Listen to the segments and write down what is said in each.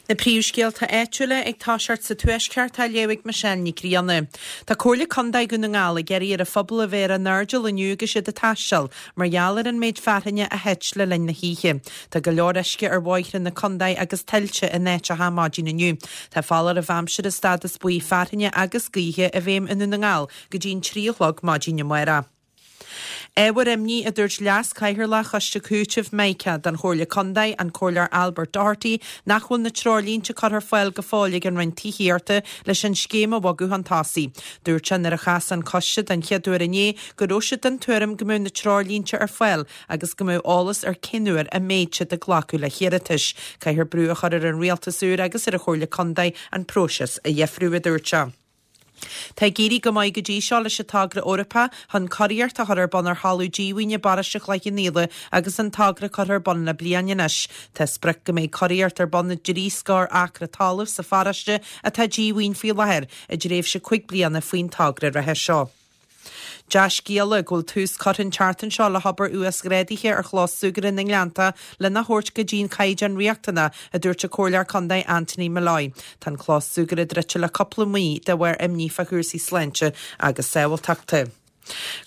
Na príomhscéalta áitiúla ag toiseacht sa Tuaisceart á léamh ag Michelle Nic Grianna. Tá Comhairle Contae Dhún na nGall ag iarraidh ar an phobal a bheith ar a n-airdeall inniu agus iad ag taisteal mar gheall ar an méid fearthainne a thit le linn na hoíche. Tá go leor uisce ar bhóithre na contae agus tuilte in áiteacha maidin inniu. Tá foláireamh aimsire stádas buí fearthainne agus gaoithe i bhfeidhm i nDún na nGall go dtí an 3 a chlog maidin amárach. Ábhar imní, a dúirt Leas-Chathaoirleach Choiste Cúitimh Mica don Chomhairle Contae, an Comhairleoir Albert Doherty, nach bhfuil na treoirlínte curtha ar fáil go fóill ag an Roinn Tithíochta leis an scéim a bhogadh chun tosaigh. Dúirt sé nuair a chas an coiste den chéad uair inné go raibh siad den tuairim go mbeadh na treoirlínte ar fáil agus go mbeadh eolas ar cén uair a mbeidh siad ag glacadh le hiarratais. Caithfear brú a chur ar an Rialtas úr agus ar an Chomhairle Contae an próiseas a dheifriú, a dúirt sé. Tá ag éirí go maith go dtí seo leis an togra Eorpach chun curaíocht a chur ar bun ar thalamh díomhaoin i bparóiste Chloich Cheann Fhaola agus an togra curtha ar bun le bliain anois. Tá sprioc go mbeidh curaíocht ar bun i dtrí scór acra talaimh sa pharóiste atá díomhaoin faoi láthair i dtréimhse 5 bliana faoin togra reatha seo. Dea-scéala go bhfuil tús curtha an tseachtain seo le hobair uasghrádaithe ar chlós súgartha na nGleanntach lena thabhairt go dtí an caighdeán riachtanach, a dúirt an Comhairleoir Contae Anthony Molloy. Tá an clós súgartha druidte le cúpla mí de bharr imní fá chúrsaí sláinte agus sábháilteachta.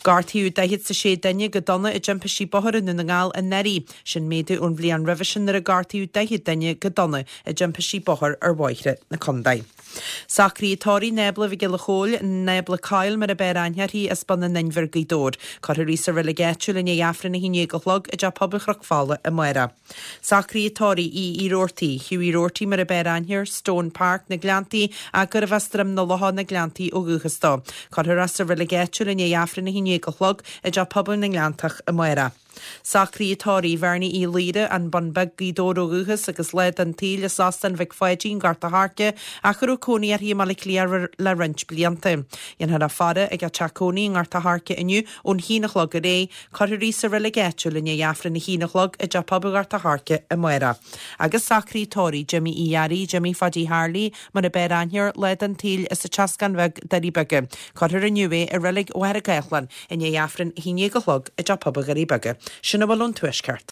Gortaíodh 46 duine go dona i dtimpistí bóthair i nDún na nGall anuraidh. Sin méadú ón bhliain roimhe sin nuair a gortaíodh 40 duine go dona i dtimpistí bóthair ar bhóithre na contae. Socruithe tórraimh Nábla Mhic Giolla Chóill, Nábla Coyle mar a b'fhearr aithne uirthi, as Bun an Inbhir, Gaoth Dobhair. Cuirfear í sa reilig áitiúil i ndiaidh Aifreann 11 a chlog i dTeach Pobail Chnoc Fola amárach. Socruithe tórraimh Aodh Uí Roarty, Hughie Roarty mar a b'fhearr aithne air, Stone Park, Na Gleanntaí, ach gurbh as Droim na Locha, Na Gleanntaí ó dhúchas dó. Cuirfear é sa reilig áitiúil i ndiaidh Aifreann 11 a chlog i dTeach Pobail na nGleanntach amárach. Socruithe tórraimh Bhernie Uí Laoire, An Bun Beag, Gaoth Dobhair ó dhúchas agus lá den tsaol as Óstán Mhic Pháidín, Gort a' Choirce, ach a raibh cónaí uirthi i mBaile Átha Cliath le roinnt blianta. Dhéanfar a faire ag a teach cónaí i nGort a' Choirce inniu ón haon a chlog ar aghaidh. Cuirfear í sa reilig áitiúil i ndiaidh Aifreann a haon a chlog i dTeach Pobail Ghort a' Choirce amárach. Agus socruithe tórraimh Jimmy Uí Fhearraigh, Jimmy Phaidí Harley, mar a b'fhearr aithne air, lá den tsaol as an Teascán Bheag, Doirí Beaga. Cuirfear inniu é i reilig Mhachaire Gathlán i ndiaidh Aifreann a haon déag a chlog i dTeach Pobail Dhoirí Beaga. Sin a bhfuil ón Tuaisceart.